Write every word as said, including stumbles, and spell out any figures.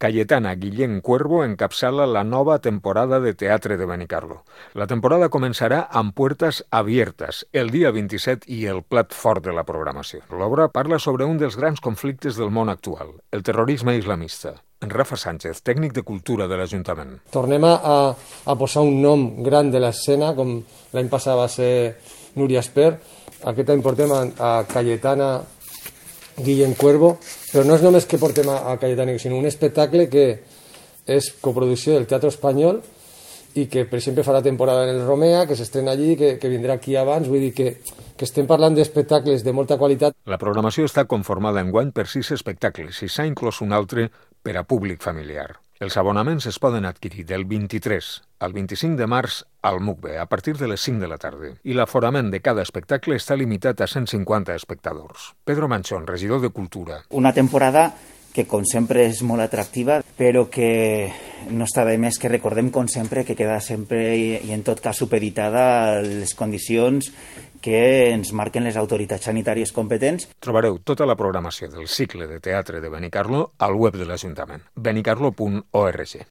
Cayetana Guillén Cuervo encapçala la nova temporada de teatre de Benicarlo. La temporada començarà amb Puertas Abiertas, el dia vint-i-set i el plat fort de la programació. L'obra parla sobre un dels grans conflictes del món actual, el terrorisme islamista. Rafa Sánchez, tècnic de cultura de l'Ajuntament. Tornem a, a posar un nom gran de l'escena, com l'any passat va ser Núria Esper. Aquest any portem a, a Cayetana Guillén Cuervo, però no és només que portem a, a Cayetana, sinó un espectacle que és coproducció del Teatre Espanyol i que, per exemple, farà temporada en el Romea, que s'estrena allí, que, que vindrà aquí abans, vull dir que, que estem parlant d'espectacles de molta qualitat. La programació està conformada enguany per sis espectacles i s'ha inclòs un altre per a públic familiar. Els abonaments es poden adquirir del vint-i-tres al vint-i-cinc de març al Mucbe a partir de les cinc de la tarda i l'aforament de cada espectacle està limitat a cent cinquanta espectadors. Pedro Manchón, regidor de Cultura. Una temporada que com sempre és molt atractiva, però que no està de més que recordem com sempre que queda sempre i, i en tot cas supeditada a les condicions que ens marquen les autoritats sanitàries competents. Trobareu tota la programació del cicle de teatre de Benicarlo al web de l'Ajuntament, benicarlo punt org.